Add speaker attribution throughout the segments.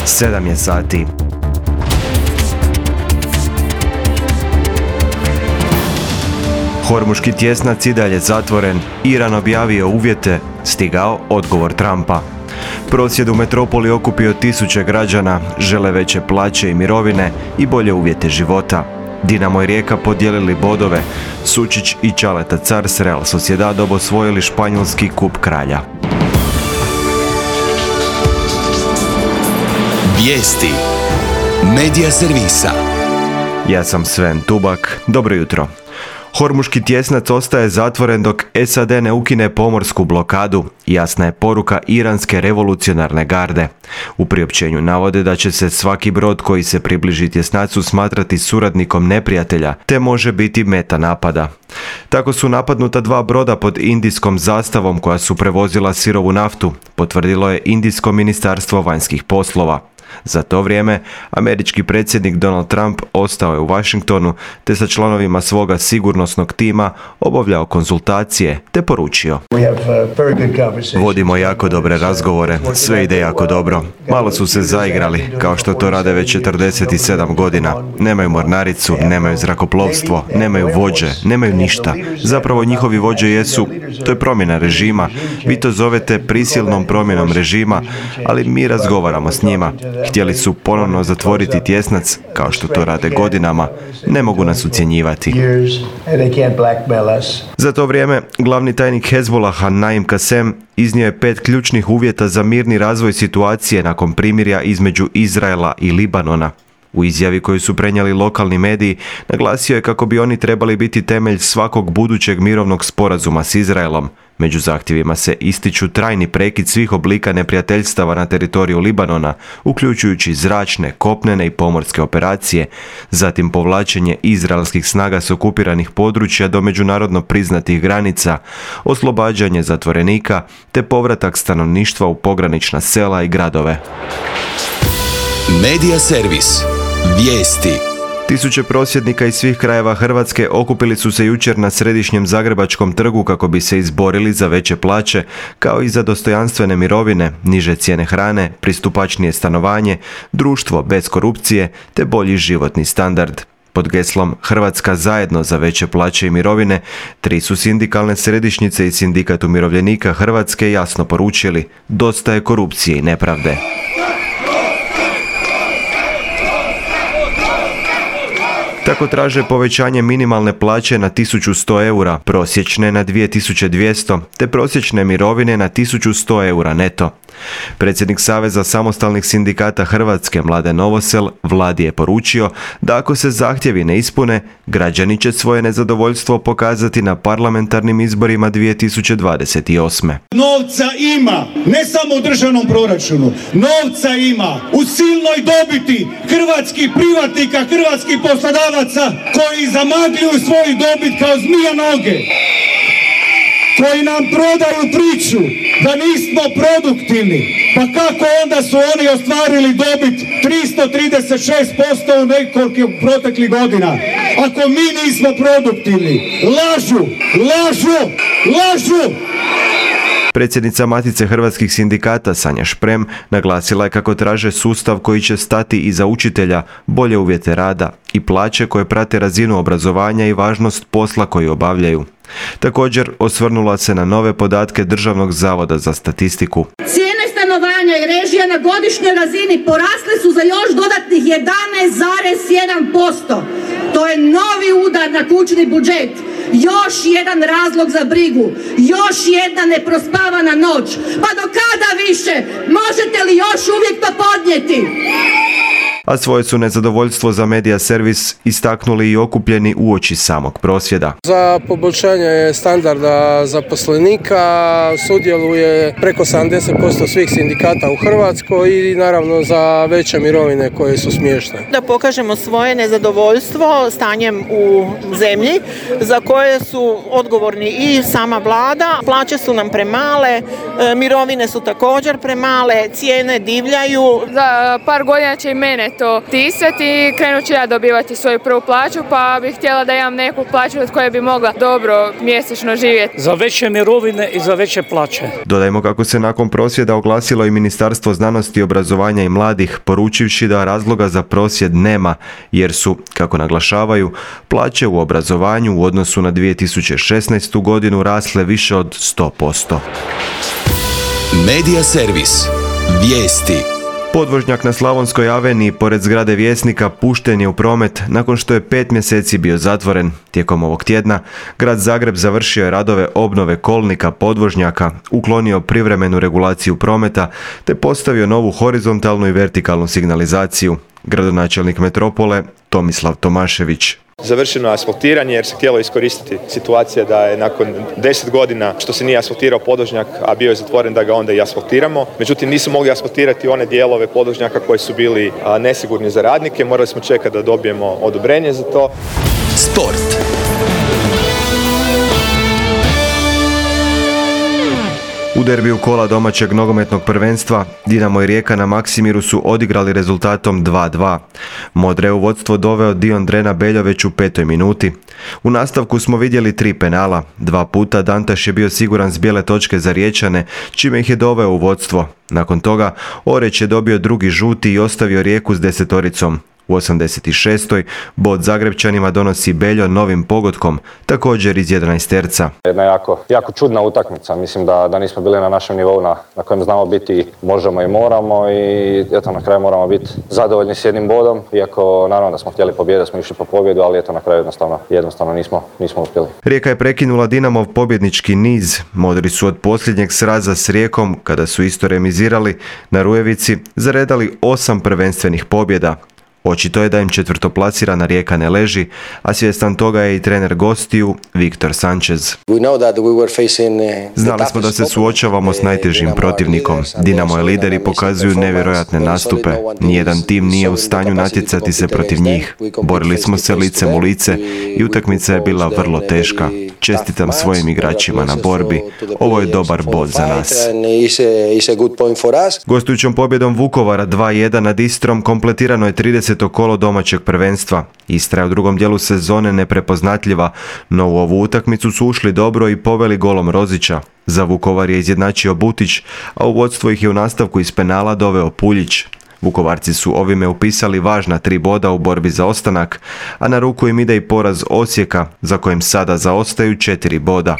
Speaker 1: 7 je sati. Hormuški tjesnac i dalje zatvoren, Iran objavio uvjete, stigao odgovor Trumpa. Prosvjed u metropoli okupio tisuće građana, žele veće plaće i mirovine i bolje uvjete života. Dinamo i Rijeka podijelili bodove, Sučić i Čaleta Car s Real Sociedadom osvojili španjolski kup kralja.
Speaker 2: Vijesti Medija servisa.
Speaker 1: Ja sam Sven Tubak, dobro jutro. Hormuški tjesnac ostaje zatvoren dok SAD ne ukine pomorsku blokadu, jasna je poruka iranske revolucionarne garde. U priopćenju navode da će se svaki brod koji se približi tjesnacu smatrati suradnikom neprijatelja, te može biti meta napada. Tako su napadnuta 2 broda pod indijskom zastavom koja su prevozila sirovu naftu, potvrdilo je Indijsko ministarstvo vanjskih poslova. Za to vrijeme, američki predsjednik Donald Trump ostao je u Washingtonu te sa članovima svoga sigurnosnog tima obavljao konzultacije te poručio: vodimo jako dobre razgovore, sve ide jako dobro. Malo su se zaigrali, kao što to rade već 47 godina. Nemaju mornaricu, nemaju zrakoplovstvo, nemaju vođe, nemaju ništa. Zapravo njihovi vođe jesu, to je promjena režima. Vi to zovete prisilnom promjenom režima, ali mi razgovaramo s njima. Htjeli su ponovno zatvoriti tjesnac, kao što to rade godinama. Ne mogu nas ucjenjivati. Za to vrijeme, glavni tajnik Hezbollaha Naim Kasem iznio je 5 ključnih uvjeta za mirni razvoj situacije nakon primirja između Izraela i Libanona. U izjavi koju su prenijeli lokalni mediji, naglasio je kako bi oni trebali biti temelj svakog budućeg mirovnog sporazuma s Izraelom. Među zahtjevima se ističu trajni prekid svih oblika neprijateljstava na teritoriju Libanona, uključujući zračne, kopnene i pomorske operacije, zatim povlačenje izraelskih snaga s okupiranih područja do međunarodno priznatih granica, oslobađanje zatvorenika te povratak stanovništva u pogranična sela i gradove.
Speaker 2: Medija servis. Vijesti.
Speaker 1: Tisuće prosvjednika iz svih krajeva Hrvatske okupili su se jučer na središnjem Zagrebačkom trgu kako bi se izborili za veće plaće, kao i za dostojanstvene mirovine, niže cijene hrane, pristupačnije stanovanje, društvo bez korupcije te bolji životni standard. Pod geslom Hrvatska zajedno za veće plaće i mirovine, 3 su sindikalne središnjice i Sindikat umirovljenika Hrvatske jasno poručili: dosta je korupcije i nepravde. Tako traže povećanje minimalne plaće na 1100 eura, prosječne na 2200, te prosječne mirovine na 1100 eura neto. Predsjednik Saveza samostalnih sindikata Hrvatske Mladen Novosel Vladi je poručio da ako se zahtjevi ne ispune, građani će svoje nezadovoljstvo pokazati na parlamentarnim izborima 2028.
Speaker 3: Novca ima, ne samo u državnom proračunu, novca ima u silnoj dobiti hrvatskih privatnika, hrvatskih poslodavaca koji zamagljuju svoju dobit kao zmija noge, koji nam prodaju priču da nismo produktivni. Pa kako onda su oni ostvarili dobit 336% u nekoliko proteklih godina? Ako mi nismo produktivni, lažu, lažu, lažu!
Speaker 1: Predsjednica Matice hrvatskih sindikata Sanja Šprem naglasila je kako traže sustav koji će stati iza učitelja, bolje uvjete rada i plaće koje prate razinu obrazovanja i važnost posla koji obavljaju. Također osvrnula se na nove podatke Državnog zavoda za statistiku.
Speaker 4: Cijene stanovanja i režija na godišnjoj razini porasle su za još dodatnih 11,1%. To je novi udar na kućni budžet. Još jedan razlog za brigu, još jedna neprospavana noć. Pa do kada više? Možete li još uvijek to podnijeti?
Speaker 1: A svoje su nezadovoljstvo za Medija servis istaknuli i okupljeni uoči samog prosvjeda.
Speaker 5: Za poboljšanje standarda zaposlenika sudjeluje preko 70% svih sindikata u Hrvatskoj i naravno za veće mirovine koje su smiješne.
Speaker 6: Da pokažemo svoje nezadovoljstvo stanjem u zemlji za koje su odgovorni i sama vlada. Plaće su nam premale, mirovine su također premale, cijene divljaju.
Speaker 7: Za par godina će i mene to tisati i krenut ću ja dobivati svoju prvu plaću, pa bih htjela da imam neku plaću od koje bi mogla dobro mjesečno živjeti.
Speaker 8: Za veće mirovine i za veće plaće.
Speaker 1: Dodajmo kako se nakon prosvjeda oglasilo i Ministarstvo znanosti, obrazovanja i mladih, poručivši da razloga za prosvjed nema, jer su, kako naglašavaju, plaće u obrazovanju u odnosu na 2016. godinu rasle više od 100%.
Speaker 2: Medija servis. Vijesti.
Speaker 1: Podvožnjak na Slavonskoj aveniji pored zgrade Vjesnika pušten je u promet nakon što je 5 mjeseci bio zatvoren. Tijekom ovog tjedna grad Zagreb završio je radove obnove kolnika podvožnjaka, uklonio privremenu regulaciju prometa te postavio novu horizontalnu i vertikalnu signalizaciju. Gradonačelnik metropole Tomislav Tomašević.
Speaker 9: Završeno je asfaltiranje jer se htjelo iskoristiti situacija da je nakon 10 godina što se nije asfaltirao podvožnjak, a bio je zatvoren, da ga onda i asfaltiramo. Međutim, nisu mogli asfaltirati one dijelove podvožnjaka koji su bili nesigurni za radnike. Morali smo čekati da dobijemo odobrenje za to.
Speaker 2: Sport.
Speaker 1: U derbiju kola domaćeg nogometnog prvenstva Dinamo i Rijeka na Maksimiru su odigrali rezultatom 2:2. Modre u vodstvo doveo Dion Drena Beljoveć u 5. minuti. U nastavku smo vidjeli 3 penala. 2 puta Dantaš je bio siguran s bijele točke za Riječane, čime ih je doveo u vodstvo. Nakon toga Oreć je dobio drugi žuti i ostavio Rijeku s 10-oricom. U 86. bod Zagrebčanima donosi Beljo novim pogodkom, također iz 11-terca.
Speaker 10: Jedna jako čudna utakmica. Mislim da nismo bili na našem nivou na kojem znamo biti, možemo i moramo i eto na kraju moramo biti zadovoljni s jednim bodom. Iako naravno da smo htjeli pobjedu, smo išli po pobjedu, ali eto na kraju jednostavno nismo uspjeli.
Speaker 1: Rijeka je prekinula Dinamov pobjednički niz. Modri su od posljednjeg sraza s Rijekom, kada su isto remizirali na Rujevici, zaredali 8 prvenstvenih pobjeda. Očito je da im četvrtoplasirana Rijeka ne leži, a svjestan toga je i trener gostiju Viktor Sanchez. Znali smo da se suočavamo s najtežim protivnikom. Dinamo i lideri pokazuju nevjerojatne nastupe. Nijedan tim nije u stanju natjecati se protiv njih. Borili smo se licem u lice i utakmica je bila vrlo teška. Čestitam svojim igračima na borbi. Ovo je dobar bod za nas. Gostujućom pobjedom Vukovara 2:1 nad Istrom kompletirano je 30. kolo domaćeg prvenstva. Istra je u drugom dijelu sezone neprepoznatljiva, no u ovu utakmicu su ušli dobro i poveli golom Rozića. Za Vukovar je izjednačio Butić, a u vodstvo ih je u nastavku iz penala doveo Puljić. Vukovarci su ovime upisali važna 3 boda u borbi za ostanak, a na ruku im ide i poraz Osijeka, za kojim sada zaostaju 4 boda.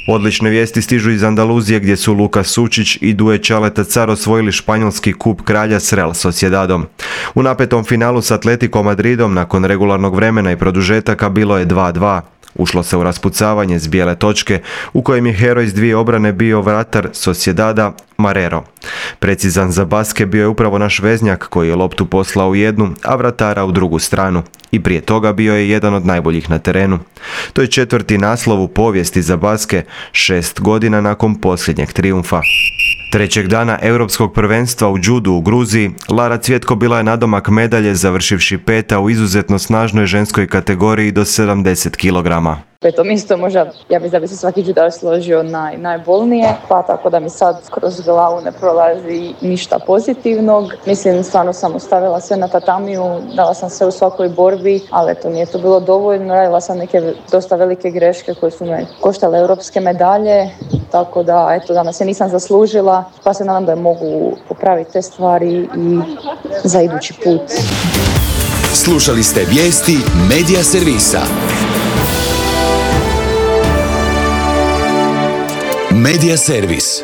Speaker 1: Odlične vijesti stižu iz Andaluzije gdje su Luka Sučić i Duje Čaleta Car osvojili španjolski kup kralja s Real Sociedadom. U napetom finalu s Atletico Madridom nakon regularnog vremena i produžetaka bilo je 2:2. Ušlo se u raspucavanje s bijele točke u kojem je heroj s 2 obrane bio vratar Sociedada Marrero. Precizan za baske bio je upravo naš veznjak koji je loptu poslao u jednu, a vratara u drugu stranu. I prije toga bio je jedan od najboljih na terenu. To je 4. naslov u povijesti za baske, 6 godina nakon posljednjeg trijumfa. Trećeg dana europskog prvenstva u judu u Gruziji, Lara Cvjetko bila je nadomak medalje završivši 5. u izuzetno snažnoj ženskoj kategoriji do 70 kg.
Speaker 11: Peto mjesto možda, ja mislim da bi se svaki judaš složio najbolnije, pa tako da mi sad kroz glavu ne prolazi ništa pozitivnog. Mislim, stvarno sam ostavila sve na tatamiju, dala sam sve u svakoj borbi, ali eto, nije to bilo dovoljno. Radila sam neke dosta velike greške koje su me koštale europske medalje, tako da eto, danas je nisam zaslužila, pa se nadam da mogu popraviti te stvari i za idući put.
Speaker 2: Slušali ste vijesti Medija servisa. Medija servis.